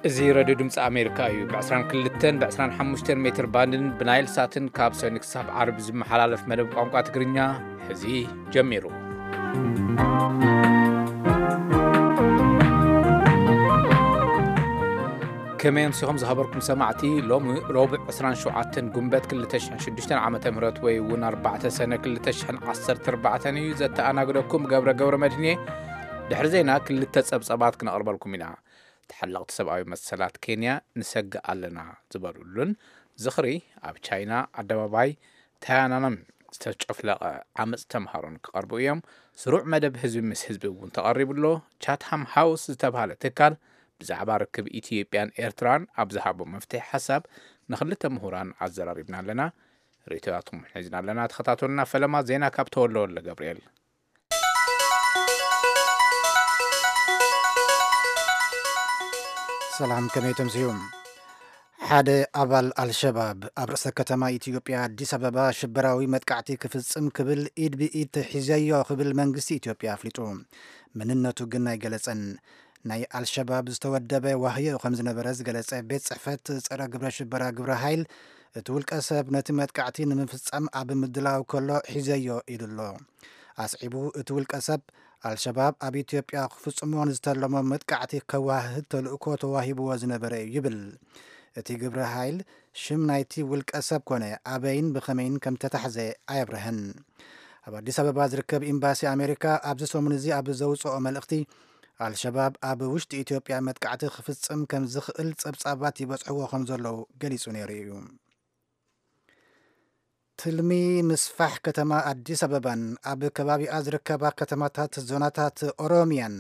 እዚ ሬድዮ ድምፂ ኣሜሪካ እዩ። ብ22 ብ25 ሜትር ባንድን ብናይል ሳትን ካብ ሰኒ ክሳብ ዓርቢ ዝመሓላለፍ መደብ ቋንቋ ትግርኛ ሕዚ ጀሚሩ። ከመይ ኣምሲኹም ዝኸበርኩም ሰማዕቲ? ሎሚ ረቡዕ 27 ጉንበት 2006 ዓ ም ወይ እውን ኣርባዕተ ሰነ 2014 እዩ። ዘተኣናግደኩም ገብረ ገብረ መድህን እየ። ድሕሪ ዜና ክልተ ጸብጸባት ክነቕርበልኩም ኢና። ተሓለቕቲ ሰብኣዊ መሰላት ኬንያ ንሰግእ ኣለና ዝበሉሉን ዝኽሪ ኣብ ቻይና ኣደባባይ ታያናናም ዝተጨፍለቐ ዓመፅ ተምሃሮን ክቐርቡ እዮም። ስሩዕ መደብ ህዝቢ ምስ ህዝቢ እውን ተቐሪቡ ኣሎ። ቻትሃም ሃውስ ዝተባህለ ትካል ብዛዕባ ርክብ ኢትዮጵያን ኤርትራን ኣብ ዝሃቦ መፍትሒ ሓሳብ ንክልተ ምሁራን ኣዘራሪብና ኣለና። ርእይቶታትኩም ሒዝና ኣለና። ተኸታተሉና። ፈለማ ዜና ካብ ተወልደ ወልደ ገብርኤል። ሰላም፣ ከመይ ተምስዩ? ሓደ ኣባል ኣልሸባብ ኣብ ርእሰ ከተማ ኢትዮጵያ ኣዲስ ኣበባ ሽበራዊ መጥቃዕቲ ክፍጽም ክብል ኢድ ብኢድ ሒዘዮ ክብል መንግስቲ ኢትዮጵያ ኣፍሊጡ። መንነቱ ግን ኣይገለጸን። ናይ ኣልሸባብ ዝተወደበ ዋህዮ ከም ዝነበረ ዝገለጸ ቤት ጽሕፈት ጸረ ግብረ ሽበራ ግብረ ሓይል፣ እቲ ውልቀ ሰብ ነቲ መጥቃዕቲ ንምፍጻም ኣብ ምድላው ከሎ ሒዘዮ ኢሉ ኣሎ። ኣስዒቡ እቲ ውልቀ ሰብ ኣልሸባብ ኣብ ኢትዮጵያ ክፍጽሞ ንዝተለሞ መጥቃዕቲ ከዋህድ ተልእኮ ተዋሂብዎ ዝነበረ እዩ ይብል። እቲ ግብረ ሓይል ሽም ናይቲ ውልቀ ሰብ ኮነ ኣበይን ብኸመይን ከም ተታሕዘ ኣየብርሀን። ኣብ ኣዲስ ኣበባ ዝርከብ ኤምባሲ ኣሜሪካ ኣብዚ ሰሙን እዚ ኣብ ዘውፅኦ መልእኽቲ፣ ኣልሸባብ ኣብ ውሽጢ ኢትዮጵያ መጥቃዕቲ ክፍጽም ከም ዝኽእል ጸብጻባት ይበጽሕዎ ከም ዘለዉ ገሊጹ ነይሩ እዩ። ትልሚ ምስፋሕ ከተማ ኣዲስ ኣበባን ኣብ ከባቢኣ ዝርከባ ከተማታት ዞናታት ኦሮሚያን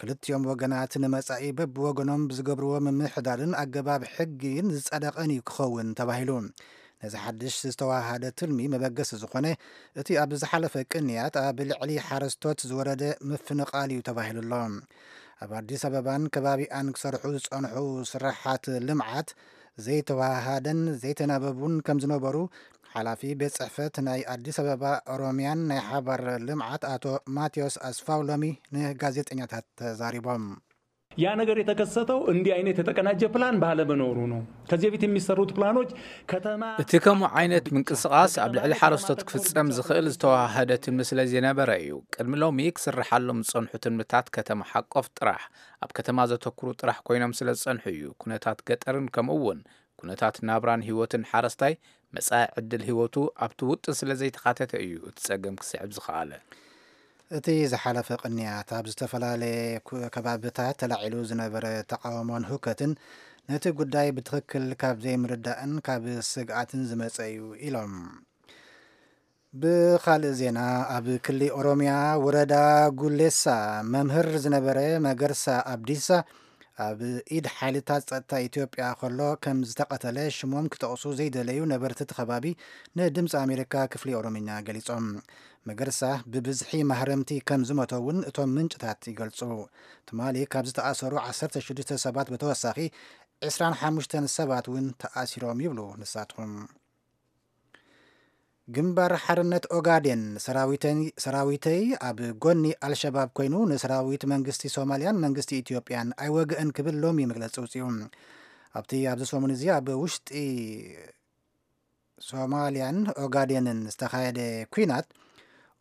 ክልቲኦም ወገናት ንመጻኢ በብወገኖም ብዝገብርዎ ምምሕዳርን ኣገባብ ሕጊን ዝጸደቐን እዩ ክኸውን ተባሂሉ። ነዚ ሓድሽ ዝተዋሃደ ትልሚ መበገሲ ዝኾነ እቲ ኣብ ዝሓለፈ ቅንያት ኣብ ልዕሊ ሓረስቶት ዝወረደ ምፍንቓል እዩ ተባሂሉ ኣሎ። ኣብ ኣዲስ ኣበባን ከባቢኣን ክሰርሑ ዝጸንሑ ስራሓት ልምዓት ዘይተዋሃደን ዘይተናበቡን ከም ዝነበሩ ሓላፊ ቤት ጽሕፈት ናይ ኣዲስ ኣበባ ኦሮሚያን ናይ ሓባር ልምዓት ኣቶ ማቴዎስ ኣስፋው ሎሚ ንጋዜጠኛታት ተዛሪቦም። ያ ነገር የተከሰተው እንዲህ አይነት የተቀናጀ ፕላን ባለመኖሩ ነው። ከዚህ በፊት የሚሰሩት ፕላኖች ከተማ እቲ ከምኡ ዓይነት ምንቅስቓስ ኣብ ልዕሊ ሓረስቶት ክፍጸም ዝኽእል ዝተዋሃደ ትልሚ ስለ ዘይነበረ እዩ። ቅድሚ ሎሚ ክስርሓሎም ዝጸንሑ ትልምታት ከተማ ሓቆፍ ጥራሕ፣ ኣብ ከተማ ዘተኩሩ ጥራሕ ኮይኖም ስለ ዝጸንሑ እዩ። ኩነታት ገጠርን ከምኡ እውን ኩነታት ናብራን ህይወትን ሓረስታይ መጻኢ ዕድል ህይወቱ ኣብቲ ውጥን ስለ ዘይተኻተተ እዩ እቲ ጸገም ክስዕብ ዝኸኣለ። እቲ ዝሓለፈ ቅንያት ኣብ ዝተፈላለየ ኩ- ከባብታት ተላዒሉ ዝነበረ ተቃውሞን ህውከትን ነቲ ጉዳይ ብትኽክል ካብ ዘይምርዳእን ካብ ስግኣትን ዝመጸ እዩ ኢሎም። ብኻልእ ዜና፣ ኣብ ክሊ ኦሮሚያ ወረዳ ጉሌሳ መምህር ዝነበረ መገርሳ ኣብዲሳ ኣብ ኢድ ሓይልታት ጸጥታ ኢትዮጵያ ከሎ ከም ዝተቐተለ ሽሞም ክጠቕሱ ዘይደለዩ ነበርቲ እቲ ከባቢ ንድምፂ ኣሜሪካ ክፍሊ ኦሮምኛ ገሊጾም። መገርሳ ብብዝሒ ማህረምቲ ከም ዝሞተ እውን እቶም ምንጭታት ይገልጹ። ትማሊ ካብ ዝተኣሰሩ 16 ሰባት ብተወሳኺ 25 ሰባት እውን ተኣሲሮም ይብሉ ንሳትኩም። ግንባር ሓርነት ኦጋዴን ሰራዊተይ ኣብ ጎኒ ኣልሸባብ ኮይኑ ንሰራዊት መንግስቲ ሶማልያን መንግስቲ ኢትዮጵያን ኣይወግእን ክብል ሎሚ መግለፂ ውፅኡ። ኣብቲ ኣብዚ ሰሙን እዚ ኣብ ውሽጢ ሶማልያን ኦጋዴንን ዝተኻየደ ኲናት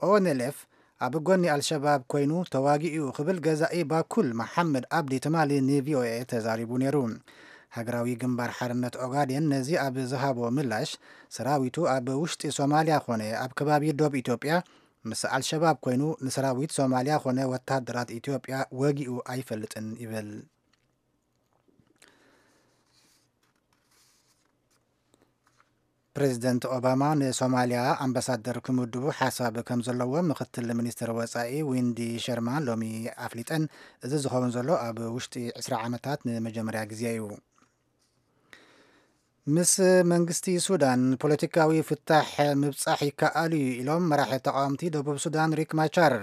ኦንኤልኤፍ ኣብ ጎኒ ኣልሸባብ ኮይኑ ተዋጊኡ ክብል ገዛኢ ባኩል መሓመድ ኣብዲ ትማሊ ንቪኦኤ ተዛሪቡ ነይሩ። ሃገራዊ ግንባር ሓርነት ኦጋዴን ነዚ ኣብ ዝሃቦ ምላሽ፣ ሰራዊቱ ኣብ ውሽጢ ሶማልያ ኾነ ኣብ ከባቢ ዶብ ኢትዮጵያ ምስ ኣልሸባብ ኮይኑ ንሰራዊት ሶማልያ ኾነ ወታደራት ኢትዮጵያ ወጊኡ ኣይፈልጥን ይብል። ፕሬዚደንት ኦባማ ንሶማልያ ኣምባሳደር ክምድቡ ሓሳብ ከም ዘለዎ ምክትል ሚኒስትር ወፃኢ ዊንዲ ሸርማን ሎሚ ኣፍሊጠን። እዚ ዝኸውን ዘሎ ኣብ ውሽጢ 20 ዓመታት ንመጀመርያ ግዜ እዩ። ምስ መንግስቲ ሱዳን ፖለቲካዊ ፍታሕ ምብጻሕ ይከኣል እዩ ኢሎም መራሒ ተቃወምቲ ደቡብ ሱዳን ሪክ ማቻር።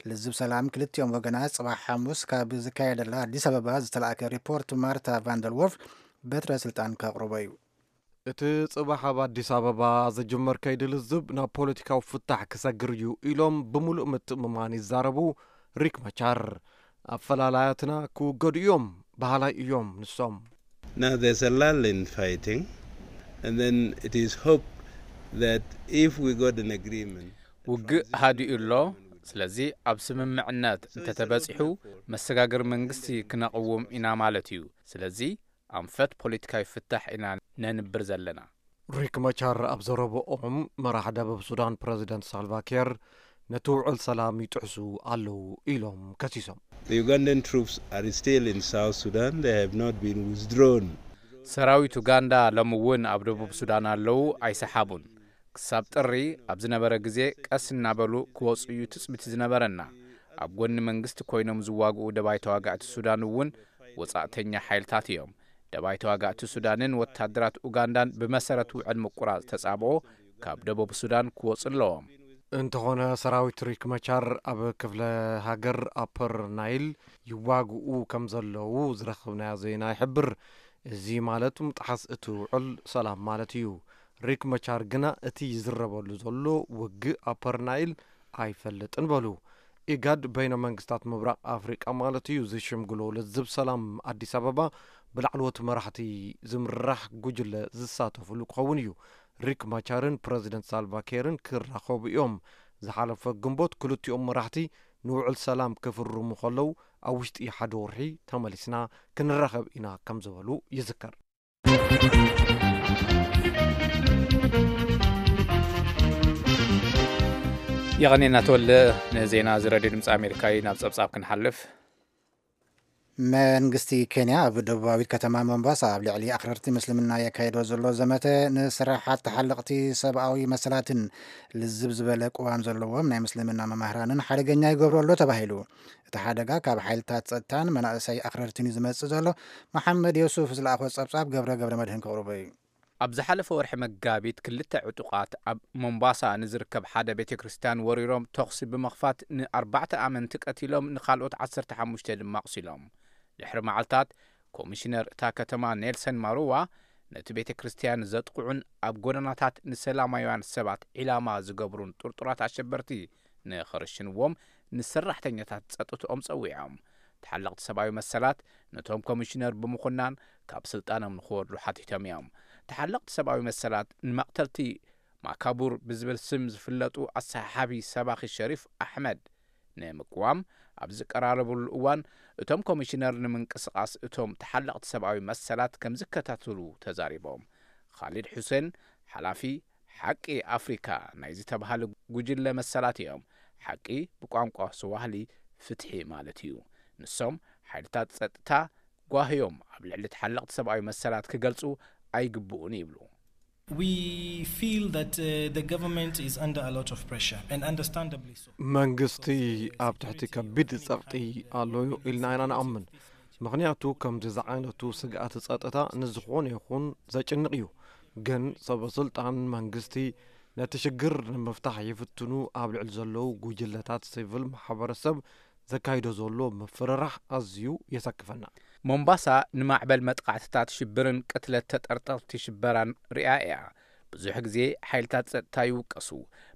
ልዝብ ሰላም ክልቲኦም ወገናት ጽባሕ ሓሙስ ካብ ዝካየደላ ኣዲስ ኣበባ ዝተላእከ ሪፖርት ማርታ ቫንደልዎርፍ በትረ ስልጣን ከቕርቦ እዩ። እቲ ጽባሕ ኣብ ኣዲስ ኣበባ ዝጅመር ከይዲ ልዝብ ናብ ፖለቲካዊ ፍታሕ ክሰግር እዩ ኢሎም ብምሉእ ምትእምማን ይዛረቡ ሪክ ማቻር። ኣፈላላያትና ክውገዱ እዮም፣ በሃላይ እዮም ንሶም። Now there's a lull in fighting, and then it is hoped that if we got an agreement, ውግእ ሃዲኡ ኣሎ። ስለዚ ኣብ ስምምዕነት እንተተበጺሑ መሰጋገሪ መንግስቲ ክነቕውም ኢና ማለት እዩ። ስለዚ ኣንፈት ፖለቲካዊ ፍታሕ ኢና ነንብር ዘለና። ሪክ መቻር ኣብ ዘረብኦም፣ መራሕ ደቡብ ሱዳን ፕረዚደንት ሳልቫኪር ነቲ ውዕል ሰላም ይጥሕሱ ኣለዉ ኢሎም ከሲሶም። The Ugandan troops are still in South Sudan. They have not been withdrawn. ሰራዊት ኡጋንዳ ሎሚ እውን ኣብ ደቡብ ሱዳን ኣለዉ፣ ኣይሰሓቡን። ክሳብ ጥሪ ኣብ ዝነበረ ግዜ ቀስ እናበሉ ክወፁ እዩ ትፅቢት ዝነበረና። ኣብ ጎኒ መንግስቲ ኮይኖም ዝዋግኡ ደባይ ተዋጋእቲ ሱዳን እውን ወፃእተኛ ሓይልታት እዮም። ደባይ ተዋጋእቲ ሱዳንን ወታደራት ኡጋንዳን ብመሰረት ውዕል ምቁራፅ ተፃብኦ ካብ ደቡብ ሱዳን ክወፁ ኣለዎም። እንተኾነ ሰራዊት ሪክ መቻር ኣብ ክፍለ ሃገር ኣፐር ናይል ይዋግኡ ከም ዘለዉ ዝረኸብናዮ ዜና ይሕብር። እዚ ማለት ምጥሓስ እቲ ውዕል ሰላም ማለት እዩ። ሪክ መቻር ግና እቲ ይዝረበሉ ዘሎ ውግእ ኣፐር ናይል ኣይፈልጥን በሉ። ኢጋድ፣ በይነ መንግስታት ምብራቕ ኣፍሪቃ ማለት እዩ፣ ዝሽምግሎ ልዝብ ሰላም ኣዲስ ኣበባ ብላዕለዎት መራሕቲ ዝምራሕ ጉጅለ ዝሳተፍሉ ክኸውን እዩ። ሪክ ማቻርን ፕረዚደንት ሳልቫ ኬርን ክራኸቡ እዮም። ዝሓለፈ ግንቦት ክልቲኦም መራሕቲ ንውዕል ሰላም ክፍርሙ ከለዉ ኣብ ውሽጢ ሓደ ወርሒ ተመሊስና ክንራኸብ ኢና ከም ዝበሉ ይዝከር። የቐኔና ተወልደ። ንዜና እዚ ረድዮ ድምፂ ኣሜሪካ እዩ። ናብ ፀብፃብ ክንሓልፍ። መንግስቲ ኬንያ ኣብ ደቡባዊት ከተማ ሞምባሳ ኣብ ልዕሊ ኣኽረርቲ ምስልምና የካየዶ ዘሎ ዘመተ ንስራሓት ተሓለቕቲ ሰብኣዊ መሰላትን ልዝብ ዝበለ ቅዋም ዘለዎም ናይ ምስልምና መማህራንን ሓደገኛ ይገብሮ ኣሎ ተባሂሉ። እቲ ሓደጋ ካብ ሓይልታት ጸጥታን መናእሰይ ኣኽረርትን እዩ ዝመጽእ ዘሎ። መሓመድ ዮሱፍ ዝለኣኾ ጸብጻብ ገብረ ገብረ መድህን ክቕርቦ እዩ። ኣብ ዝሓለፈ ወርሒ መጋቢት ክልተ ዕጡቓት ኣብ ሞምባሳ ንዝርከብ ሓደ ቤተ ክርስትያን ወሪሮም ተኹሲ ብምኽፋት ንኣርባዕተ ኣመንቲ ቀቲሎም ንኻልኦት ዓሰርተ ሓሙሽተ ድማ ኣቑሲሎም። ድሕሪ መዓልታት ኮሚሽነር እታ ከተማ ኔልሰን ማሩዋ ነቲ ቤተ ክርስትያን ዘጥቕዑን ኣብ ጎደናታት ንሰላማውያን ሰባት ዒላማ ዝገብሩን ጥርጡራት ኣሸበርቲ ንኽርሽንዎም ንሰራሕተኛታት ጸጥትኦም ጸዊዖም። ተሓለቕቲ ሰብኣዊ መሰላት ነቶም ኮሚሽነር ብምኹናን ካብ ስልጣኖም ንኽወርዱ ሓቲቶም እዮም። ተሓለቕቲ ሰብኣዊ መሰላት ንመቕተልቲ ማካቡር ብዝብል ስም ዝፍለጡ ኣሰሓሓቢ ሰባኺ ሸሪፍ ኣሕመድ ንምቅዋም ኣብ ዝቀራረብሉ እዋን እቶም ኮሚሽነር ንምንቅስቓስ እቶም ተሓለቕቲ ሰብኣዊ መሰላት ከም ዝከታተሉ ተዛሪቦም። ኻሊድ ሑሴን ሓላፊ ሓቂ ኣፍሪካ ናይ ዝተባህለ ጉጅለ መሰላት እዮም። ሓቂ ብቋንቋ ስዋህሊ ፍትሒ ማለት እዩ። ንሶም ሓይልታት ጸጥታ ጓህዮም ኣብ ልዕሊ ተሓለቕቲ ሰብኣዊ መሰላት ክገልጹ ኣይግብኡን ይብሉ። We feel that uh, the government is under a lot of pressure and understandably so. መንግስቲ ኣብ ትሕቲ ከቢድ ጸቕጢ ኣሎ ኢልና ኢና ንኣምን። ምኽንያቱ ከምዚ ዝዓይነቱ ስግኣት ጸጥታ ንዝኾነ ይኹን ዘጭንቕ እዩ። ግን ሰበ ስልጣን መንግስቲ ነቲ ሽግር ንምፍታሕ ይፍትኑ ኣብ ልዕሊ ዘለዉ ጉጅለታት ሲቪል ማሕበረሰብ ዘካይዶ ዘሎ ምፍርራሕ ኣዝዩ የሰክፈና። ሞምባሳ ንማዕበል መጥቓዕትታት ሽብርን ቅትለት ተጠርጠርቲ ሽበራን ሪኣ እያ። ብዙሕ ግዜ ሓይልታት ጸጥታ ይውቀሱ፣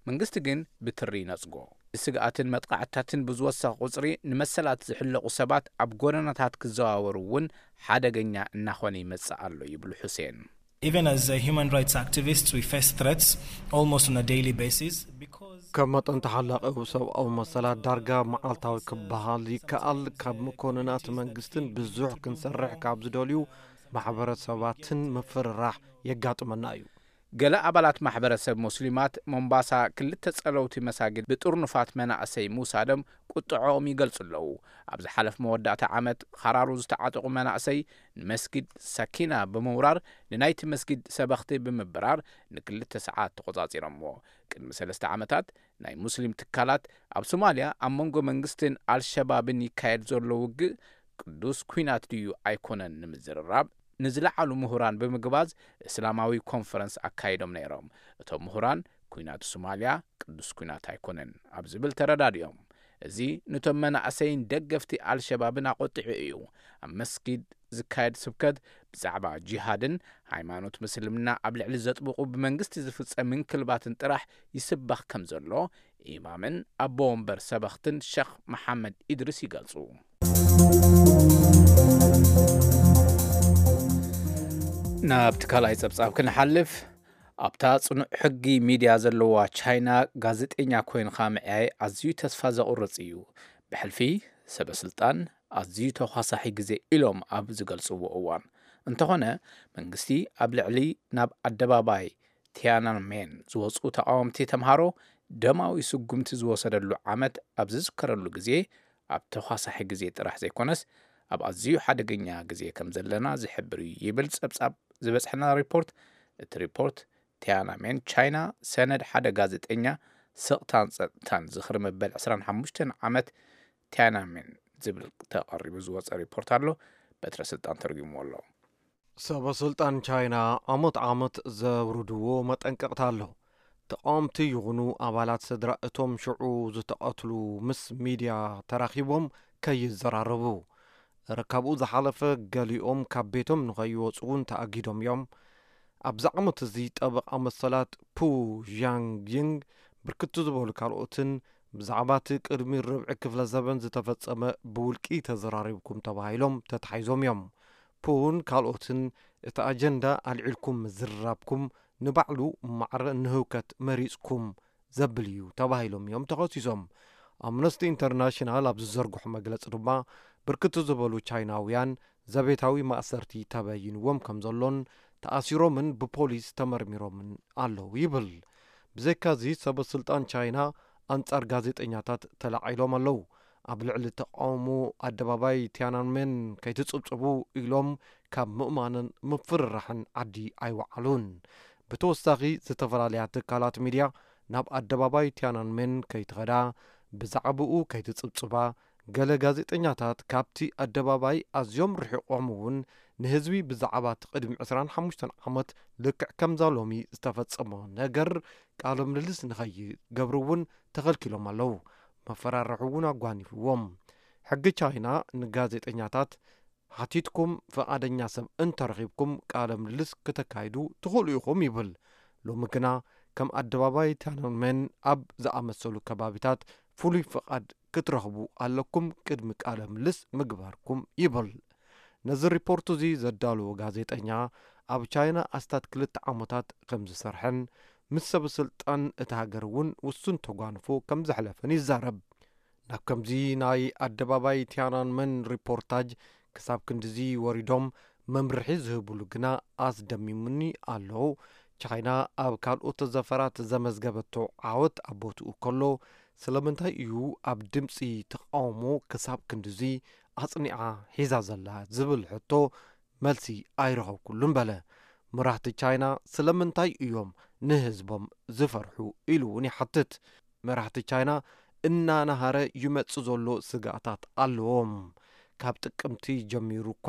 መንግስቲ ግን ብትሪ ይነጽጎ። ስግኣትን መጥቓዕትታትን ብዝወሰኸ ቁጽሪ ንመሰላት ዝሕለቑ ሰባት ኣብ ጎደናታት ክዘዋወሩ እውን ሓደገኛ እናኾነ ይመጽእ ኣሎ ይብሉ ሑሴን። Even as uh, human rights activists, we face threats almost on a daily basis because ከም መጠን ተሓላቒ ሰብኣዊ መሰላት ዳርጋ መዓልታዊ ክበሃል ይከኣል። ካብ መኮንናት መንግስትን ብዙሕ ክንሰርሕ ካብ ዝደልዩ ማሕበረሰባትን ምፍርራሕ የጋጥመና እዩ። ገለ ኣባላት ማሕበረሰብ ሙስሊማት ሞምባሳ ክልተ ጸለውቲ መሳጊድ ብጥርኑፋት መናእሰይ ምውሳዶም ቁጥዐኦም ይገልጹ ኣለዉ። ኣብ ዝሓለፍ መወዳእታ ዓመት ኻራሩ ዝተዓጠቑ መናእሰይ ንመስጊድ ሰኪና ብምውራር ንናይቲ መስጊድ ሰበኽቲ ብምብራር ንክልተ ሰዓት ተቖጻጺሮምዎ። ቅድሚ ሰለስተ ዓመታት ናይ ሙስሊም ትካላት ኣብ ሶማልያ ኣብ መንጎ መንግስትን ኣልሸባብን ይካየድ ዘሎ ውግእ ቅዱስ ኲናት ድዩ ኣይኮነን ንምዝርራብ ንዝለዓሉ ምሁራን ብምግባዝ እስላማዊ ኮንፈረንስ ኣካይዶም ነይሮም። እቶም ምሁራን ኲናት ሶማልያ ቅዱስ ኲናት ኣይኮነን ኣብ ዝብል ተረዳዲኦም። እዚ ነቶም መናእሰይን ደገፍቲ ኣልሸባብን ኣቖጢዑ እዩ። ኣብ መስጊድ ዝካየድ ስብከት ብዛዕባ ጂሃድን ሃይማኖት ምስልምና ኣብ ልዕሊ ዘጥብቑ ብመንግስቲ ዝፍጸም ምንክልባትን ጥራሕ ይስበኽ ከም ዘሎ ኢማምን ኣቦ ወንበር ሰበኽትን ሸኽ መሓመድ ኢድሪስ ይገልጹ። ናብቲ ካልኣይ ጸብጻብ ክንሓልፍ፣ ኣብታ ጽኑዕ ሕጊ ሚድያ ዘለዋ ቻይና ጋዜጠኛ ኮይንካ ምዕያይ ኣዝዩ ተስፋ ዘቑርጽ እዩ። ብሕልፊ ሰበ ስልጣን ኣዝዩ ተዃሳሒ ግዜ ኢሎም ኣብ ዝገልጽዎ እዋን፣ እንተኾነ መንግስቲ ኣብ ልዕሊ ናብ ኣደባባይ ቲያናንሜን ዝወጹ ተቓወምቲ ተምሃሮ ደማዊ ስጉምቲ ዝወሰደሉ ዓመት ኣብ ዝዝከረሉ ግዜ፣ ኣብ ተዃሳሒ ግዜ ጥራሕ ዘይኮነስ ኣብ ኣዝዩ ሓደገኛ ግዜ ከም ዘለና ዝሕብር እዩ ይብል ጸብጻብ ዝበጽሐና ሪፖርት። እቲ ሪፖርት ቲያናንሜን ቻይና ሰነድ ሓደ ጋዜጠኛ ስቕታን ጸጥታን ዝኽሪ መበል ዕስራን ሓሙሽተን ዓመት ቲያናንሜን ዝብል ተቐሪቡ ዝወጸ ሪፖርት ኣሎ። በትረ ስልጣን ተርጉምዎ ኣሎ። ሰበ ስልጣን ቻይና ዓመት ዓመት ዘውርድዎ መጠንቀቕታ ኣሎ። ተቓወምቲ ይኹኑ ኣባላት ስድራ እቶም ሽዑ ዝተቐትሉ ምስ ሚድያ ተራኺቦም ከይዘራረቡ፣ ረ ካብኡ ዝሓለፈ ገሊኦም ካብ ቤቶም ንኸይወፁ እውን ተኣጊዶም እዮም። ኣብዚ ዓመት እዚ ጠበቓ መሰላት ፑ ዣንግይንግ ብርክት ዝበሉ ካልኦትን ብዛዕባ እቲ ቅድሚ ርብዒ ክፍለ ዘበን ዝተፈጸመ ብውልቂ ተዘራሪብኩም ተባሂሎም ተታሒዞም እዮም። ፑን ካልኦትን እቲ ኣጀንዳ ኣልዒልኩም ምዝርራብኩም ንባዕሉ ማዕረ ንህውከት መሪጽኩም ዘብል እዩ ተባሂሎም እዮም ተኸሲሶም። ኣምነስቲ ኢንተርናሽናል ኣብ ዝዘርግሖ መግለጺ ድማ ብርክት ዝበሉ ቻይናውያን ዘቤታዊ ማእሰርቲ ተበይንዎም ከም ዘሎን ተኣሲሮምን ብፖሊስ ተመርሚሮምን ኣለዉ ይብል። ብዘይካዚ ሰበ ስልጣን ቻይና ኣንጻር ጋዜጠኛታት ተላዒሎም ኣለዉ። ኣብ ልዕሊ ተቃውሞ ኣደባባይ ቲያናንሜን ከይትጽብጽቡ ኢሎም ካብ ምእማንን ምፍርራሕን ዓዲ ኣይወዓሉን። ብተወሳኺ ዝተፈላለያ ትካላት ሚድያ ናብ ኣደባባይ ቲያናንሜን ከይትኸዳ፣ ብዛዕባኡ ከይትጽብጽባ፣ ገለ ጋዜጠኛታት ካብቲ ኣደባባይ ኣዝዮም ርሒቖም እውን ንህዝቢ ብዛዕባ እቲ ቅድሚ ዕስራን ሓሙሽተን ዓመት ልክዕ ከምዛ ሎሚ ዝተፈጸመ ነገር ቃለ ምልልስ ንኸይገብሩ እውን ተኸልኪሎም ኣለዉ። መፈራርሒ እውን ኣጓኒፍዎም። ሕጊ ቻይና ንጋዜጠኛታት ሓቲትኩም ፍቓደኛ ሰብ እንተረኺብኩም ቃለ ምልልስ ክተካይዱ ትኽእሉ ኢኹም ይብል። ሎሚ ግና ከም ኣደባባይ ቲያናንሜን ኣብ ዝኣመሰሉ ከባቢታት ፍሉይ ፍቓድ ክትረኽቡ ኣለኩም ቅድሚ ቃለ ምልልስ ምግባርኩም ይብል። ነዚ ሪፖርት እዚ ዘዳለወ ጋዜጠኛ ኣብ ቻይና ኣስታት ክልተ ዓመታት ከም ዝሰርሐን ምስ ሰበ ስልጣን እታ ሃገር እውን ውሱን ተጓንፎ ከም ዘሕለፈን ይዛረብ። ናብ ከምዚ ናይ ኣደባባይ ቲያናንመን ሪፖርታጅ ክሳብ ክንድዚ ወሪዶም መምርሒ ዝህብሉ ግና ኣስደሚሙኒ ኣሎ። ቻይና ኣብ ካልኦት ዘፈራት ዘመዝገበቶ ዓወት ኣብ ቦትኡ ከሎ፣ ስለምንታይ እዩ ኣብ ድምፂ ተቃውሞ ክሳብ ክንድዚ ኣጽኒዓ ሒዛ ዘላ ዝብል ሕቶ መልሲ ኣይረኸብኩሉን በለ። መራሕቲ ቻይና ስለምንታይ እዮም ንህዝቦም ዝፈርሑ ኢሉ እውን ይሓትት። መራሕቲ ቻይና እናናሃረ ይመጽእ ዘሎ ስግኣታት ኣለዎም። ካብ ጥቅምቲ ጀሚሩ እኳ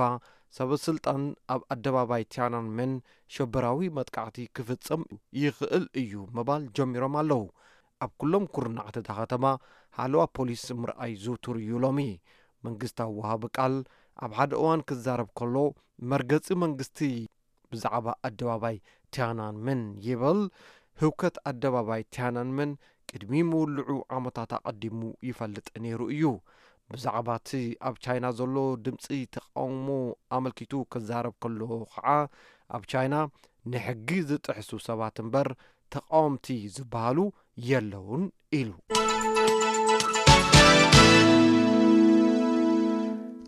ሰበ ስልጣን ኣብ ኣደባባይ ቲያናንመን ሸበራዊ መጥቃዕቲ ክፍጸም ይኽእል እዩ ምባል ጀሚሮም ኣለዉ። ኣብ ኩሎም ኩርናዓት እታ ከተማ ሓለዋ ፖሊስ ምርኣይ ዝውቱር እዩ ሎሚ። መንግስታዊ ወሃቢ ቃል ኣብ ሓደ እዋን ክዛረብ ከሎ፣ መርገጺ መንግስቲ ብዛዕባ ኣደባባይ ቲያናንመን ይብል። ህውከት ኣደባባይ ቲያናንመን ቅድሚ ምውልዑ ዓመታት ኣቐዲሙ ይፈልጥ ነይሩ እዩ። ብዛዕባ እቲ ኣብ ቻይና ዘሎ ድምፂ ተቃውሞ ኣመልኪቱ ክዛረብ ከሎ ከዓ፣ ኣብ ቻይና ንሕጊ ዝጥሕሱ ሰባት እምበር ተቃወምቲ ዝበሃሉ የለውን ኢሉ።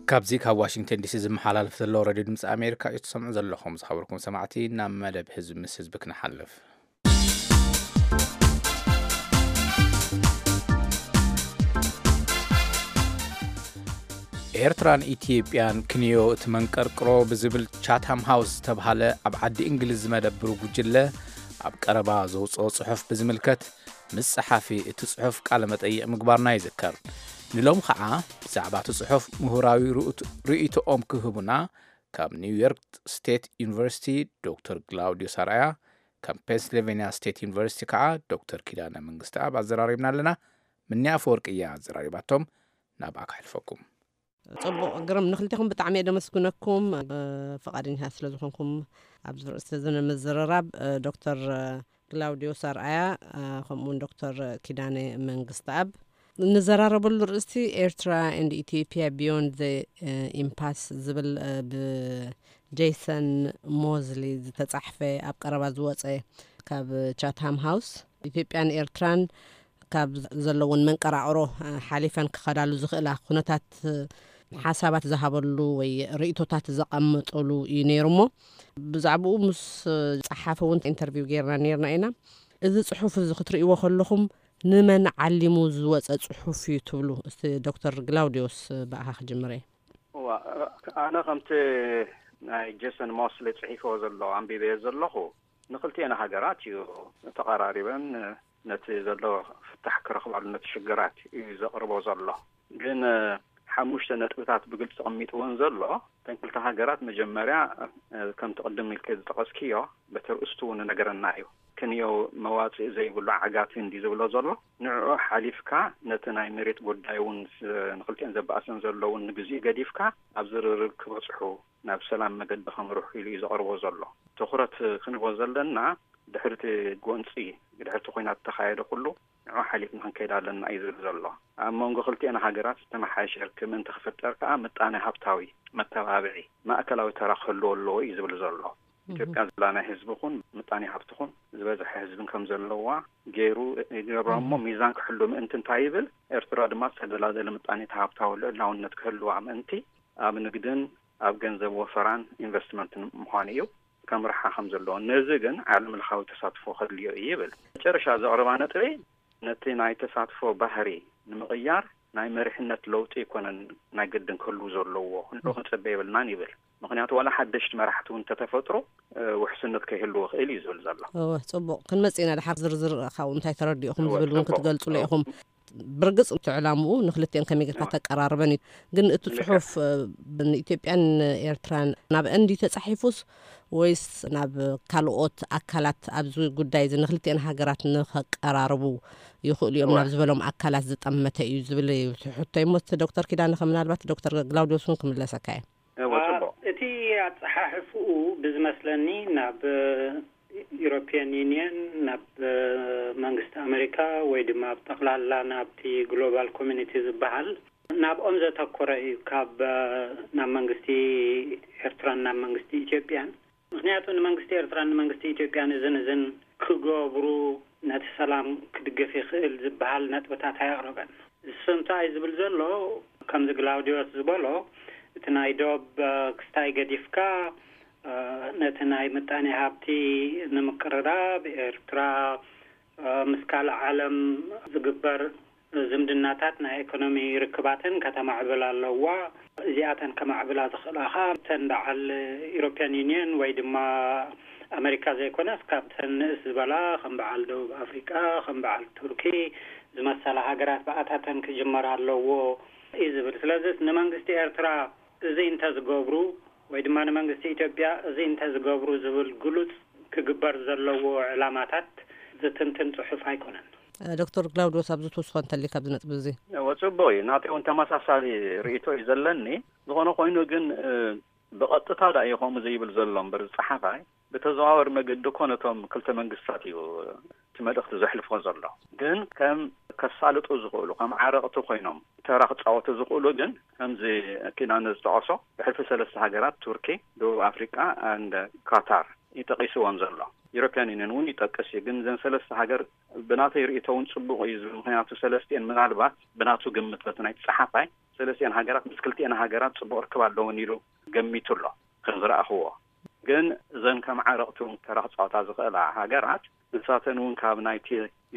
ካብዚ ካብ ዋሽንግተን ዲሲ ዝመሓላለፍ ዘሎ ሬድዮ ድምፂ ኣሜሪካ እዩ ትሰምዑ ዘለኹም። ዝኸበርኩም ሰማዕቲ፣ ናብ መደብ ህዝቢ ምስ ህዝቢ ክንሓልፍ። ኤርትራን ኢትዮጵያን ክንዮ እቲ መንቀርቅሮ ብዝብል ቻታም ሃውስ ዝተብሃለ ኣብ ዓዲ እንግሊዝ ዝመደብሩ ጉጅለ ኣብ ቀረባ ዘውፅኦ ፅሑፍ ብዝምልከት ምስ ጸሓፊ እቲ ጽሑፍ ቃለ መጠይቕ ምግባርና ይዝከር። ንሎም ኸዓ ብዛዕባ እቲ ጽሑፍ ምሁራዊ ርኡት-፣ ርእይቶኦም ክህቡና ካብ ኒውዮርክ ስቴት ዩኒቨርሲቲ ዶክተር ግላውዲዮስ ኣርኣያ፣ ካብ ፔንስልቬንያ ስቴት ዩኒቨርሲቲ ከዓ ዶክተር ኪዳነ መንግስተኣብ ኣዘራሪብና ኣለና። ምኒ ኣፈወርቂ እያ ኣዘራሪባቶም። ናብኣ ከሕልፈኩም። ጽቡቕ ግርም፣ ንክልቴኹም ብጣዕሚ እየ ደመስግነኩም፣ እ፣ ፈቓደኛታት ስለ ዝኾንኩም ኣብዚ ርእስቲ እዚ ንምዝርራብ። እ፣ ዶክተር፣ እ፣ ግላውዲዮስ ኣርኣያ፣ እ፣ ከምኡውን ዶክተር ኪዳነ መንግስተኣብ። ንዘራረበሉ ርእስቲ ኤርትራ and Ethiopia Beyond the Impasse ዝብል ብጄሰን ሞዝሊ ዝተጻሕፈ ኣብ ቀረባ ዝወጸ ካብ ቻትሃም ሃውስ ኢትዮጵያን ኤርትራን ካብ ዘለውን መንቀራቕሮ ሓሊፈን ክኸዳሉ ዝኽእላ ኩነታት ሓሳባት ዝሃበሉ ወይ ርእይቶታት ዘቐመጠሉ እዩ ነይሩ። እሞ ብዛዕባኡ ምስ ጸሓፊ እውን ኢንተርቪው ጌርና ነይርና ኢና። እዚ ጽሑፍ እዚ ክትርእይዎ ከለኹም ንመን ዓሊሙ ዝወጸ ጽሑፍ እዩ ትብሉ? እስቲ ዶክተር ግላውዲዮስ ብኣኻ ክጅምር እየ። እዋ፣ ኣነ ከምቲ ናይ ጄሰን ሞስሊ ጽሒፍዎ ዘሎ ኣንቢበዮ ዘለኹ፣ ንክልቲኤን ሃገራት እዩ ተቐራሪበን ነቲ ዘሎ ፍታሕ ክረኽባሉ ነቲ ሽግራት እዩ ዘቕርቦ ዘሎ። ግን ሓሙሽተ ነጥብታት ብግልፂ ቀሚጥወን ዘሎ። እተን ክልተ ሃገራት መጀመርያ ከምቲ ቅድም ኢልከ ዝጠቐስክዮ በቲ ርእስቱ እውን ነገረና እዩ። ክንዮ መዋፅእ ዘይብሉ ዓጋቲ እንዲ ዝብሎ ዘሎ ንዕኡ ሓሊፍካ ነቲ ናይ መሬት ጉዳይ እውን ንክልቲኤን ዘባእሰን ዘለውን ንግዚኡ ገዲፍካ ኣብ ዝርርብ ክበፅሑ ናብ ሰላም መገዲ ከምርሑ ኢሉ እዩ ዘቕርቦ ዘሎ። ትኹረት ክንቦ ዘለና ድሕርቲ ጎንፂ ድሕርቲ ኮይናት ተኻየደ ኩሉ ንዑ ሓሊፍና ክንከይድ ኣለና እዩ ዝብል ዘሎ። ኣብ መንጎ ክልቲኤን ሃገራት ዝተመሓየሸ ርክብ ምእንቲ ክፍጠር ከዓ ምጣነ ሃብታዊ መተባብዒ ማእከላዊ ተራ ክህልዎ ኣለዎ እዩ ዝብል ዘሎ። ኢትዮጵያ ዝላ ናይ ህዝቢ ኹን ምጣኔ ሃብቲ ኹን ዝበዝሐ ህዝብን ከም ዘለዋ ገይሩ ይገብሮ። እሞ ሚዛን ክሕሉ ምእንቲ እንታይ ይብል? ኤርትራ ድማ ዝተደላደለ ምጣኔ ሃብታዊ ልዕላውነት ክህልዋ ምእንቲ ኣብ ንግድን ኣብ ገንዘብ ወፈራን ኢንቨስትመንትን ምዃኑ እዩ ከምርሓ ከም ዘለዎ። ነዚ ግን ዓለም ለኻዊ ተሳትፎ ከድልዮ እዩ ይብል። መጨረሻ ዘቕርባ ነጥበይ ነቲ ናይ ተሳትፎ ባህሪ ንምቕያር ናይ መሪሕነት ለውጢ ኣይኮነን ናይ ግድን ክህሉ ዘለዎ። ክንዶ ክንጸበ የብልናን ይብል። ምክንያቱ ዋላ ሓደሽቲ መራሕቲ እውን እንተተፈጥሩ ውሕስነት ከይህልዎ ክእል እዩ ዝብል ዘሎ። እወ፣ ጽቡቕ። ክንመጽእ ኢና ድሓር ዝርዝር ካብኡ እንታይ ተረዲእኹም ዝብል እውን ክትገልጹ ኢኹም። ብርግጽ እቲ ዕላምኡ ንክልቲኤን ከመይ ጌርካ ተቀራርበን እዩ። ግን እቲ ጽሑፍ ንኢትዮጵያን ኤርትራን ናብ እንዲ ተጻሒፉስ ወይስ ናብ ካልኦት ኣካላት ኣብዚ ጉዳይ እዚ ንክልቲኤን ሃገራት ንኸቀራርቡ ይኽእሉ እዮም ናብ ዝበሎም ኣካላት ዝጠመተ እዩ ዝብል እዩ ሕቶይ። እሞ እቲ ዶክተር ኪዳነ ምናልባት ዶክተር ግላውዲዮስ እውን ክምለሰካ እየ። እወ፣ ጽቡቕ። እቲ ኣጸሓሕፍኡ ብዝመስለኒ ናብ ኢሮፒያን ዩኒየን፣ ናብ መንግስቲ ኣሜሪካ ወይ ድማ ኣብ ጠቕላላ ናብቲ ግሎባል ኮሚኒቲ ዝበሃል ናብኦም ዘተኮረ እዩ፣ ካብ ናብ መንግስቲ ኤርትራን ናብ መንግስቲ ኢትዮጵያን። ምክንያቱ ንመንግስቲ ኤርትራን ንመንግስቲ ኢትዮጵያን እዝን እዝን ክገብሩ ነቲ ሰላም ክድግፍ ይኽእል ዝበሃል ነጥብታት ኣየቕረበን። እሱ እንታይ ዝብል ዘሎ፣ ከምዚ ግላውዲዮስ ዝበሎ፣ እቲ ናይ ዶብ ክስታይ ገዲፍካ ነቲ ናይ ምጣኔ ሃብቲ ንምቅርራብ ኤርትራ ምስ ካልእ ዓለም ዝግበር ዝምድናታት ናይ ኢኮኖሚ ርክባተን ከተማዕብል ኣለዋ። እዚኣተን ከማዕብላ ዝኽእላ ኸኣ እተን በዓል ኢሮፕያን ዩኒየን ወይ ድማ ኣመሪካ ዘይኮነስ ካብተን ንእስ ዝበላ ከም በዓል ደቡብ ኣፍሪቃ፣ ከም በዓል ቱርኪ ዝመሰላ ሃገራት ብኣታተን ክጅመር ኣለዎ እዩ ዝብል። ስለዚ ንመንግስቲ ኤርትራ እዚ እንተዝገብሩ ወይ ድማ ንመንግስቲ ኢትዮጵያ እዚ እንተዝገብሩ ዝብል ግሉጽ ክግበር ዘለዎ ዕላማታት ዝትንትን ጽሑፍ ኣይኮነን። ዶክተር ግላውዲዮስ ኣብዚ ትውስኾ እንተሊ ካብዚ ነጥቢ እዚ። እወ፣ ጽቡቕ እዩ። ናተይ እውን ተመሳሳሊ ርእይቶ እዩ ዘለኒ። ዝኾነ ኮይኑ ግን ብቐጥታ ዳ እዩ ከምኡ ዘይብል ዘሎ እምበር ዝጸሓፋይ ብተዘዋወር መገዲ እኮ ነቶም ክልተ መንግስታት እዩ እቲ መልእኽቲ ዘሕልፎ ዘሎ። ግን ከም ከሳልጡ ዝኽእሉ ከም ዓረቕቲ ኮይኖም ተራ ክጻወቱ ዝኽእሉ ግን ከምዚ ኪዳነ ዝጠቐሶ ብሕልፊ ሰለስተ ሃገራት ቱርኪ፣ ደቡብ ኣፍሪቃ and ካታር ይጠቂስዎም ዘሎ። ኢሮፕያን ዩኒየን እውን ይጠቅስ እዩ። ግን ዘን ሰለስተ ሃገር ብናተይ ርእይቶ እውን ጽቡቕ እዩ ዝብል ምክንያቱ ሰለስቲኤን ምናልባት ብናቱ ግምት በቲ ናይ ጸሓፋይ ሰለስቲኤን ሃገራት ምስ ክልቲኤን ሃገራት ጽቡቕ ርክብ ኣለውን ኢሉ ገሚቱ ኣሎ ከም ዝረኣኽዎ። ግን እዘን ከም ዓረቕቲ እውን ተራ ክጻወታ ዝኽእላ ሃገራት ንሳተን እውን ካብ ናይቲ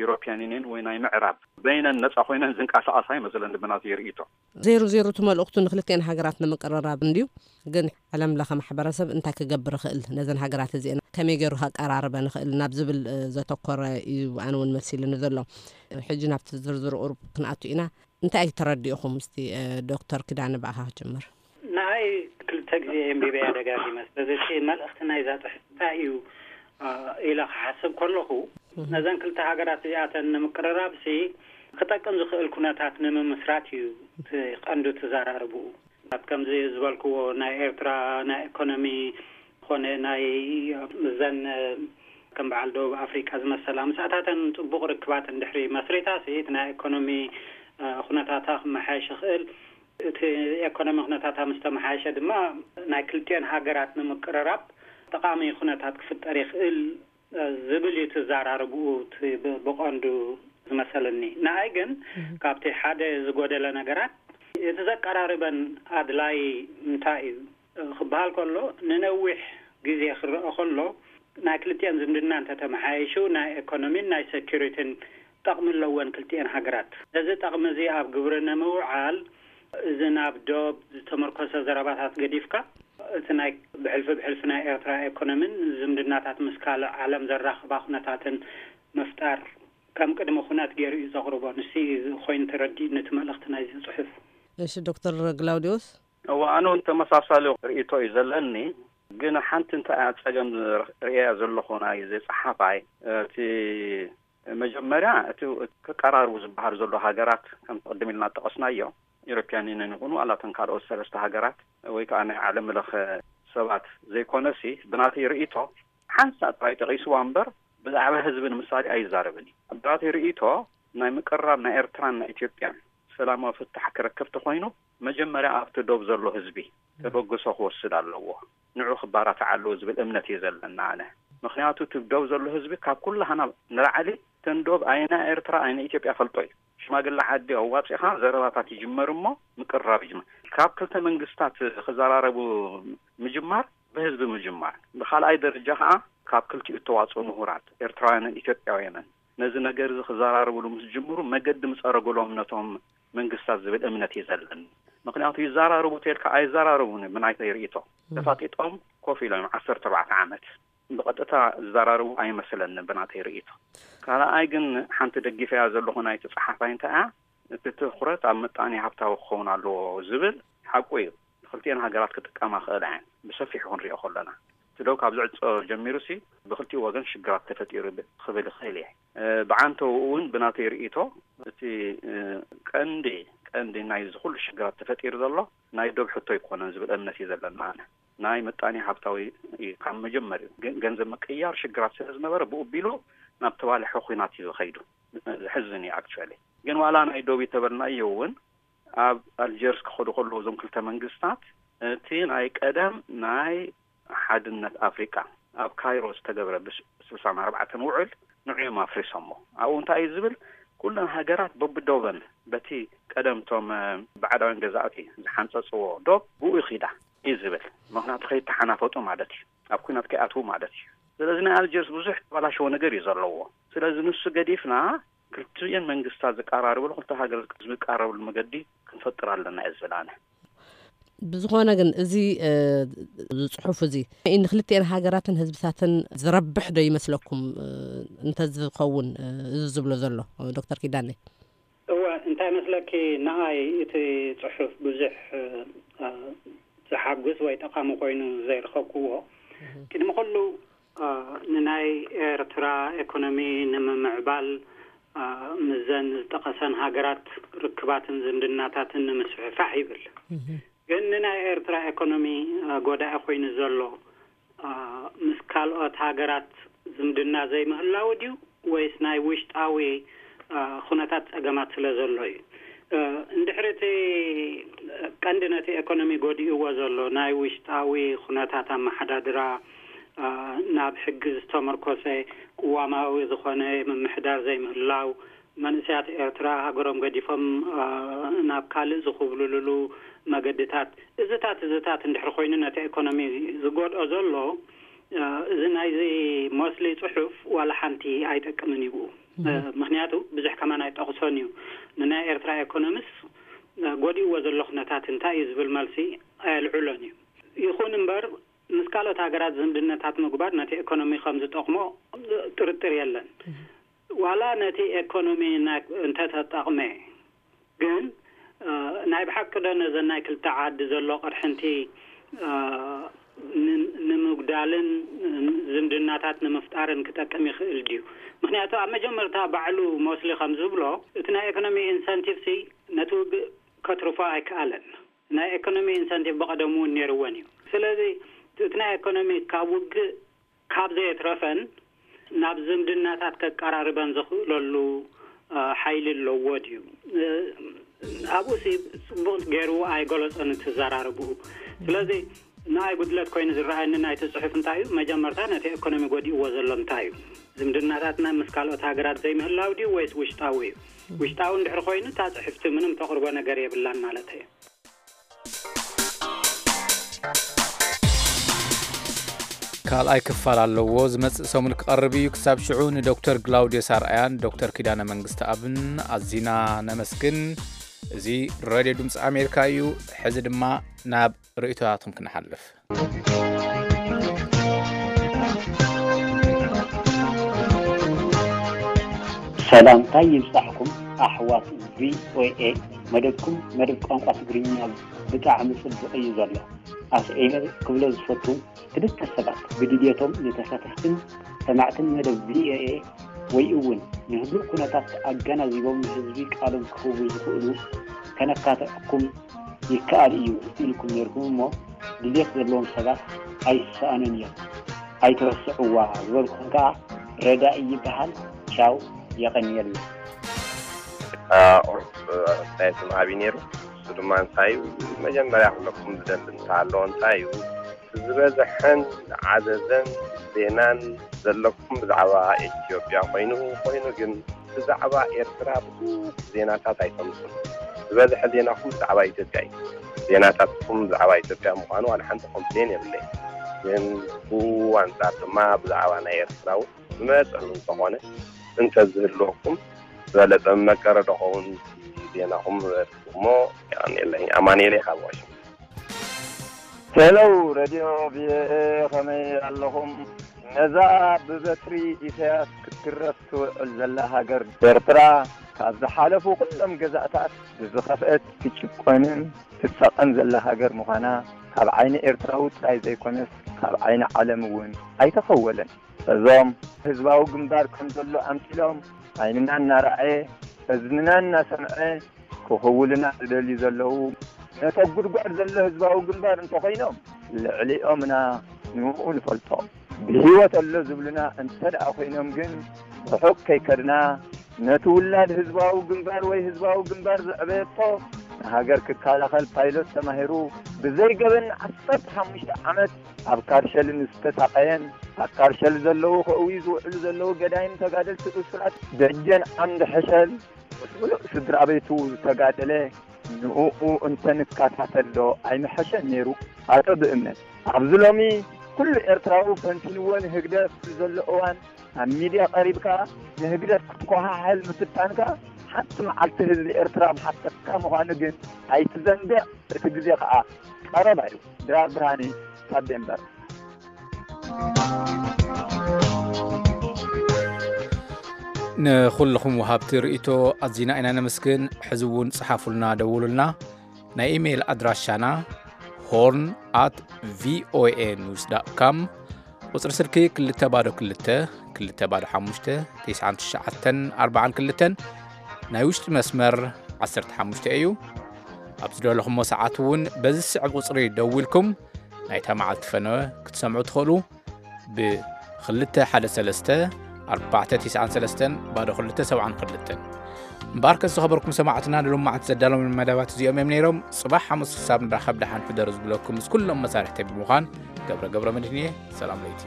ዩሮፕያን ዩኒየን ወይ ናይ ምዕራብ በይነን ነጻ ኮይነን ዝንቀሳቐሳ ይመስለኒ ብናተይ ርእይቶ። ዜሩ ዜሩ እቲ መልእኽቱ ንክልቲኤን ሃገራት ንምቅርራብ እንድዩ። ግን ዓለም ለኸ ማሕበረሰብ እንታይ ክገብር ይኽእል ነዘን ሃገራት እዚአን ከመይ ገይሩ ከቀራርበን ይኽእል ናብ ዝብል ዘተኮረ እዩ ኣነ እውን መሲልኒ ዘሎ። ሕጂ ናብቲ ዝርዝር ቁሩብ ክንኣቱ ኢና። እንታይ ተረዲእኹም? እስቲ ዶክተር ኪዳነ ብኣኻ ክጅምር። ንኣይ ክልተ ግዜ ኣንቢበያ ደጋጊመ። ስለዚ እቲ መልእኽቲ ናይዛ ጽሕፍቲ እንታይ እዩ ኢለ ክሓስብ ከለኹ ነዘን ክልተ ሃገራት እዚኣተን ንምቅርራብ ሲ ክጠቅም ዝኽእል ኩነታት ንምምስራት እዩ እቲ ቀንዱ ተዘራርብኡ። ከምዚ ዝበልክዎ ናይ ኤርትራ ናይ ኢኮኖሚ ኮነ ናይ ምዘን ከም በዓል ደቡብ ኣፍሪቃ ዝመሰላ ምስኣታተን ጽቡቕ ርክባት እንድሕሪ መስሪታ ሲ እቲ ናይ ኢኮኖሚ ኩነታታ ክመሓየሽ ይኽእል። እቲ ኤኮኖሚ ኩነታታ ምስ ተመሓየሸ ድማ ናይ ክልቲኦን ሃገራት ንምቅርራብ ጠቓሚ ኩነታት ክፍጠር ይኽእል ዝብል እዩ እቲ ዘራርብኡ እቲ ብ- ብቐንዱ ዝመሰለኒ። ንኣይ ግን ካብቲ ሓደ ዝጎደለ ነገራት እቲ ዘቀራርበን ኣድላይ እንታይ እዩ ክበሃል ከሎ ንነዊሕ ግዜ ክረአ ከሎ ናይ ክልቲኦን ዝምድና እንተተመሓየሹ ናይ ኤኮኖሚን ናይ ሴኩሪቲን ጠቕሚ ኣለወን ክልቲኦን ሃገራት። እዚ ጠቕሚ እዚ ኣብ ግብሪ ንምውዓል እዚ ናብ ዶብ ዝተመርኮሰ ዘረባታት ገዲፍካ እቲ ናይ ብሕልፊ ብሕልፊ ናይ ኤርትራ ኤኮኖሚን ዝምድናታት ምስ ካልእ ዓለም ዘራኽባ ኩነታትን ምፍጣር ከም ቅድሚ ኩነት ገይሩ እዩ ዘቕርቦ። ንሱ እዩ ኮይኑ ተረዲእኒ እቲ መልእኽቲ ናይዚ ጽሑፍ። እሺ ዶክተር ግላውዲዮስ። እዋ ኣነ እውን ተመሳሳሊ ርእይቶ እዩ ዘለኒ። ግን ሓንቲ እንታይ እያ ጸገም ርእያ ዘለኹ ናይ እዚ ጸሓፋይ እቲ መጀመርያ እቲ ክቀራርቡ ዝበሃል ዘሎ ሃገራት ከም ቅድም ኢልና ጠቐስናዮ ኢሮፕያን ዩኒየን ይኹኑ ኣላተን ካልኦት ሰለስተ ሃገራት ወይ ከዓ ናይ ዓለም ለኸ ሰባት ዘይኮነሲ ብናተይ ርእይቶ ሓንሳእ ጥራይ ጠቒስዋ እምበር ብዛዕባ ህዝቢ ንምሳሌ ኣይዛረብን እዩ። ብናተይ ርእይቶ ናይ ምቅርራብ ናይ ኤርትራን ናይ ኢትዮጵያን ሰላማዊ ፍታሕ ክረክብ ተኾይኑ መጀመርያ ኣብቲ ዶብ ዘሎ ህዝቢ ተበግሶ ክወስድ ኣለዎ። ንዑ ክባራትዕ ኣለዎ ዝብል እምነት እዩ ዘለና ኣነ። ምክንያቱ እቲ ዶብ ዘሎ ህዝቢ ካብ ኩላህና ንላዕሊ ተን ዶብ ኣይና ኤርትራ ኣይና ኢትዮጵያ ፈልጦ እዩ። ሽማግለ ዓዲ ኣዋፂኻ ዘረባታት ይጅመር እሞ ምቅርራብ ይጅመር። ካብ ክልተ መንግስታት ክዘራረቡ ምጅማር ብህዝቢ ምጅማር። ብካልኣይ ደረጃ ከዓ ካብ ክልቲኡ እተዋፅኡ ምሁራት ኤርትራውያንን ኢትዮጵያውያንን ነዚ ነገር እዚ ክዘራረብሉ ምስ ጅምሩ መገዲ ምፀረጉሎም ነቶም መንግስታት ዝብል እምነት እዩ ዘለኒ። ምክንያቱ ይዘራረቡ ተልካ ኣይዘራረቡን ብናይተይ ርእይቶ ተፋጢጦም ኮፍ ኢሎም ዓሰርተ ኣርባዕተ ዓመት ብቐጥታ ዝዘራረቡ ኣይመስለንን ብናተይ ርእይቶ። ካልኣይ ግን ሓንቲ ደጊፈያ ዘለኹ ናይቲ ጸሓፋይ እንታይ እያ እቲ ትኹረት ኣብ ምጣኔ ሃብታዊ ክኸውን ኣለዎ ዝብል ሓቁ እዩ። ክልቲኤን ሃገራት ክጥቀማ ክእል እየን ብሰፊሑ ክንሪኦ ከለና እቲ ደው ካብ ዝዕጾ ጀሚሩ ሲ ብክልቲኡ ወገን ሽግራት ተፈጢሩ ክብል ይኽእል እየ። ብዓንተው እውን ብናተይ ርእይቶ እቲ ቀንዲ ቀንዲ ናይ ዝኩሉ ሽግራት ተፈጢሩ ዘሎ ናይ ዶብ ሕቶ ኣይኮነን ዝብል እምነት እዩ ዘለና ኣነ። ናይ ምጣኔ ሃብታዊ እዩ ካብ መጀመርዩ ግን ገንዘብ ምቅያር ሽግራት ስለ ዝነበረ ብኡ ቢሉ ናብ ተባልሐ ኩናት እዩ ዝኸይዱ። ዝሕዝን እዩ ኣክቹዋሊ። ግን ዋላ ናይ ዶብ ተበልናዮ እውን ኣብ ኣልጀርስ ክኸዱ ከለዉ እዞም ክልተ መንግስታት እቲ ናይ ቀደም ናይ ሓድነት ኣፍሪቃ ኣብ ካይሮ ዝተገብረ ብስልሳን ኣርባዕተን ውዕል ንዕዮም ኣፍሪሶሞ። ኣብኡ እንታይ እዩ ዝብል? ኩለን ሃገራት በብዶበን በቲ ቀደምቶም ባዕዳውያን ገዛእቲ ዝሓንፀፅዎ ዶብ ብኡ ይኺዳ እዩ ዝብል። ምክንያቱ ከይተሓናፈጡ ማለት እዩ፣ ኣብ ኩናት ከይኣትዉ ማለት እዩ። ስለዚ ናይ ኣልጀርስ ብዙሕ ተባላሸዎ ነገር እዩ ዘለዎ። ስለዚ ንሱ ገዲፍና ክልቲኤን መንግስታት ዝቀራርብሉ ክልተ ሃገር ዝቀራረብሉ መገዲ ክንፈጥር ኣለና እየ ዝብል ኣነ። ብዝኾነ ግን እዚ ዝፅሑፍ እዚ ንክልቲኤን ሃገራትን ህዝብታትን ዝረብሕ ዶ ይመስለኩም? እንተዝኸውን እዚ ዝብሎ ዘሎ ዶክተር ኪዳነ። እወ እንታይ መስለኪ፣ ንኣይ እቲ ፅሑፍ ብዙሕ ዝሓጉስ ወይ ጠቓሚ ኮይኑ ዘይረኸብክዎ። ቅድሚ ኩሉ ንናይ ኤርትራ ኤኮኖሚ ንምምዕባል ምዘን ዝጠቐሰን ሃገራት ርክባትን ዝምድናታትን ንምስፍሕፋሕ ይብል። ግን ንናይ ኤርትራ ኤኮኖሚ ጎዳኢ ኮይኑ ዘሎ ምስ ካልኦት ሃገራት ዝምድና ዘይምህላው ድዩ ወይስ ናይ ውሽጣዊ ኩነታት ጸገማት ስለ ዘሎ እዩ? እንድሕሪ እቲ ቀንዲ ነቲ ኤኮኖሚ ጎዲእዎ ዘሎ ናይ ውሽጣዊ ኩነታት ኣመሓዳድራ ናብ ሕጊ ዝተመርኮሰ ቅዋማዊ ዝኾነ ምምሕዳር ዘይምህላው፣ መንእሰያት ኤርትራ ሃገሮም ገዲፎም ናብ ካልእ ዝኹብልልሉ መገድታት፣ እዝታት እዝታት እንድሕር ኮይኑ ነቲ ኤኮኖሚ ዝጎድኦ ዘሎ፣ እዚ ናይዚ ሞስሊ ጽሑፍ ዋላ ሓንቲ ኣይጠቅምን እዩ። ምክንያቱ ብዙሕ ከማን ኣይጠቕሶን እዩ። ንናይ ኤርትራ ኤኮኖሚስ ጎዲእዎ ዘሎ ኩነታት እንታይ እዩ ዝብል መልሲ ኣየልዕሎን እዩ። ይኹን እምበር ምስ ካልኦት ሃገራት ዝምድነታት ምግባር ነቲ ኤኮኖሚ ከም ዝጠቕሞ ጥርጥር የለን። ዋላ ነቲ ኤኮኖሚ እንተተጠቕመ ግን ናይ ብሓቂ ዶ ነዘን ናይ ክልተ ዓዲ ዘሎ ቅርሕንቲ ንምጉዳልን ዝምድናታት ንምፍጣርን ክጠቅም ይኽእል ድዩ? ምክንያቱ ኣብ መጀመርታ ባዕሉ ሞስሊ ከም ዝብሎ እቲ ናይ ኤኮኖሚ ኢንሰንቲቭ ሲ ነቲ ውግእ ከትርፎ ኣይከኣለን። ናይ ኤኮኖሚ ኢንሰንቲቭ ብቐደሙ እውን ነይርወን እዩ። ስለዚ እቲ ናይ ኤኮኖሚ ካብ ውግእ ካብ ዘየትረፈን ናብ ዝምድናታት ከቀራርበን ዝኽእለሉ ሓይሊ ኣለዎ ድዩ? ኣብኡ ሲ ጽቡቕ ገይሩ ኣይገለጾን እቲ ዘራርብኡ። ስለዚ ንኣይ ጉድለት ኮይኑ ዝረኣየኒ ናይቲ ጽሑፍ እንታይ እዩ? መጀመርታ ነቲ ኢኮኖሚ ጎዲእዎ ዘሎ እንታይ እዩ? ዝምድናታትና ምስ ካልኦት ሃገራት ዘይምህላው ድዩ ወይስ ውሽጣዊ እዩ? ውሽጣዊ እንድሕር ኮይኑ እታ ጽሕፍቲ ምንም ተቕርቦ ነገር የብላን ማለት እዩ። ካልኣይ ክፋል ኣለዎ፣ ዝመጽእ ሰሙን ክቐርብ እዩ። ክሳብ ሽዑ ንዶክተር ግላውድዮስ ኣርኣያን ዶክተር ኪዳነ መንግስቲ ኣብን ኣዚና ነመስግን። እዚ ሬድዮ ድምፂ ኣሜሪካ እዩ። ሕዚ ድማ ናብ ርእይቶታትኩም ክንሓልፍ። ሰላምታይ ይብጻሕኩም ኣሕዋት ቪኦኤ። መደብኩም መደብ ቋንቋ ትግርኛ ብጣዕሚ ጽቡቕ እዩ ዘሎ። ኣስዒበ ክብሎ ዝፈቱ፣ ክልተ ሰባት ብድልየቶም ንተሳተፍትን ሰማዕትን መደብ ቪኦኤ ወይ እውን ንህሉእ ኩነታት ኣገናዚቦም ንህዝቢ ቃሎም ክህቡ ዝኽእሉ ከነካትዐኩም ይከኣል እዩ ኢልኩም ነይርኩም እሞ ድልየት ዘለዎም ሰባት ኣይሰኣኑን እዮም። ኣይትረስዕዋ ዝበልኩም ከኣ ረዳኢ ይበሃል። ቻው፣ የቐንየልና። ቁሩብ ኣስተያየት ምሃብ እዩ ነይሩ። እሱ ድማ እንታይ እዩ መጀመርያ ክብለኩም ዝደሊ እንተሃለዎ እንታይ እዩ ዝበዝሐን ዝዓዘዘን ዜናን ዘለኩም ብዛዕባ ኢትዮጵያ ኮይኑ ኮይኑ ግን ብዛዕባ ኤርትራ ብዙሕ ዜናታት ኣይተምፁን። ዝበዝሐ ዜናኹም ብዛዕባ ኢትዮጵያ እዩ። ዜናታትኩም ብዛዕባ ኢትዮጵያ ምዃኑ ዋላ ሓንቲ ኮምፕሌን የብለይ። ግን ብኡ ኣንፃር ድማ ብዛዕባ ናይ ኤርትራ እውን ዝመፀሉ እንተኾነ እንተዝህልወኩም ዝበለፀ መቀረ ዶ ኸውን ዜናኹም እሞ የቐንየለይ። ኣማኑኤለይ ካብ ዋሽንግተን። ሄሎ ረድዮ ቪኦኤ ከመይ ኣለኹም? ነዛ ብበትሪ ኢሳያስ ክትግረፍ ትውዕል ዘላ ሃገር ኤርትራ ካብ ዝሓለፉ ኩሎም ገዛእታት ብዝኸፍአት ትጭቆንን ትሳቐን ዘላ ሃገር ምዃና ካብ ዓይኒ ኤርትራዊ ጥራይ ዘይኮነስ ካብ ዓይኒ ዓለም እውን ኣይተኸወለን። እዞም ህዝባዊ ግንባር ከም ዘሎ ኣምሲሎም ዓይንና እናረኣየ እዝንና እናሰምዐ ክኽውሉና ዝደልዩ ዘለዉ ነቶም ጉድጓድ ዘሎ ህዝባዊ ግንባር እንተኾይኖም ልዕሊኦምና ንኡ ንፈልጦ። ብህይወት ኣሎ ዝብሉና እንተ ደኣ ኮይኖም ግን ርሑቕ ከይከድና ነቲ ውላድ ህዝባዊ ግንባር ወይ ህዝባዊ ግንባር ዘዕበየቶ ንሃገር ክከላኸል ፓይሎት ተማሂሩ ብዘይ ገበን ዓሰርተ ሓሙሽተ ዓመት ኣብ ካርሸልን ዝተሳቐየን ኣብ ካርሸል ዘለዉ ከእውዩ ዝውዕሉ ዘለዉ ገዳይም ተጋደልቲ እሱራት ደጀን ዓምዲ ሕሸል ምስ ምሉእ ስድራ ቤቱ ዝተጋደለ ንእኡ እንተንከታተል ዶ ኣይምሐሸን ነይሩ? ኣቶ ብእምነት ኣብዚ ሎሚ ኩሉ ኤርትራዊ ፈንቲንዎ ንህግደፍ ዘሎ እዋን ኣብ ሚድያ ቀሪብካ ንህግደፍ ክትኮሓሕል ምፍታንካ ሓንቲ መዓልቲ ህዝቢ ኤርትራ ምሓተካ ምዃኑ ግን ኣይትዘንግዕ፣ እቲ ግዜ ከኣ ቀረባ እዩ። ድራር ብርሃነ ካብ ዴንቨር። ንኹልኹም ወሃብቲ ርእይቶ ኣዚና ኢና ነመስግን። ሕዚ እውን ጽሓፉልና፣ ደውሉልና። ናይ ኢሜይል ኣድራሻና ሆርን ኣት ቪኦኤ ኒውስ ዳት ካም፣ ቁጽሪ ስልኪ ክልተ ባዶ ክልተ ክልተ ባዶ ሓሙሽተ ትሽዓን ትሽዓተን ኣርባዓን ክልተን፣ ናይ ውሽጢ መስመር ዓሰርተ ሓሙሽተ እዩ። ኣብ ዝደለኹሞ ሰዓት እውን በዚ ዝስዕብ ቁጽሪ ደዊልኩም ናይታ መዓልቲ ፈነወ ክትሰምዑ ትኽእሉ። ብ ክልተ ሓደ ሰለስተ ኣርባዕተ ትስዓን ሰለስተን ባዶ ክልተ ሰብዓን ክልተን። እምበኣርከስ ዝኸበርኩም ሰማዕትና ንሎማዓንቲ ዘዳለዎም መደባት እዚኦም እዮም ነይሮም። ጽባሕ ሓሙስ ክሳብ ንራኸብ ደሓን ሕደሩ ዝብለኩም ምስ ኩሎም መሳርሕተይ ብምዃን ገብረ ገብረ መድህን እየ። ሰላም ለይቲ።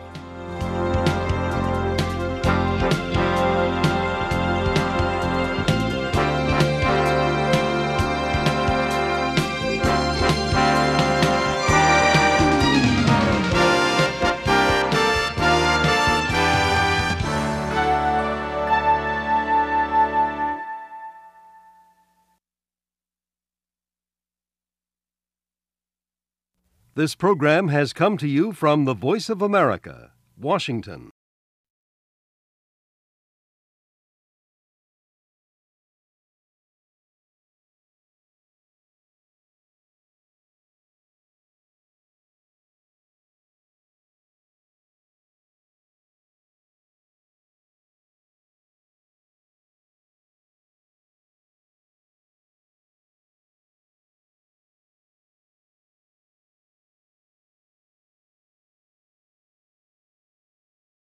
This program has come to you from the Voice of America, Washington.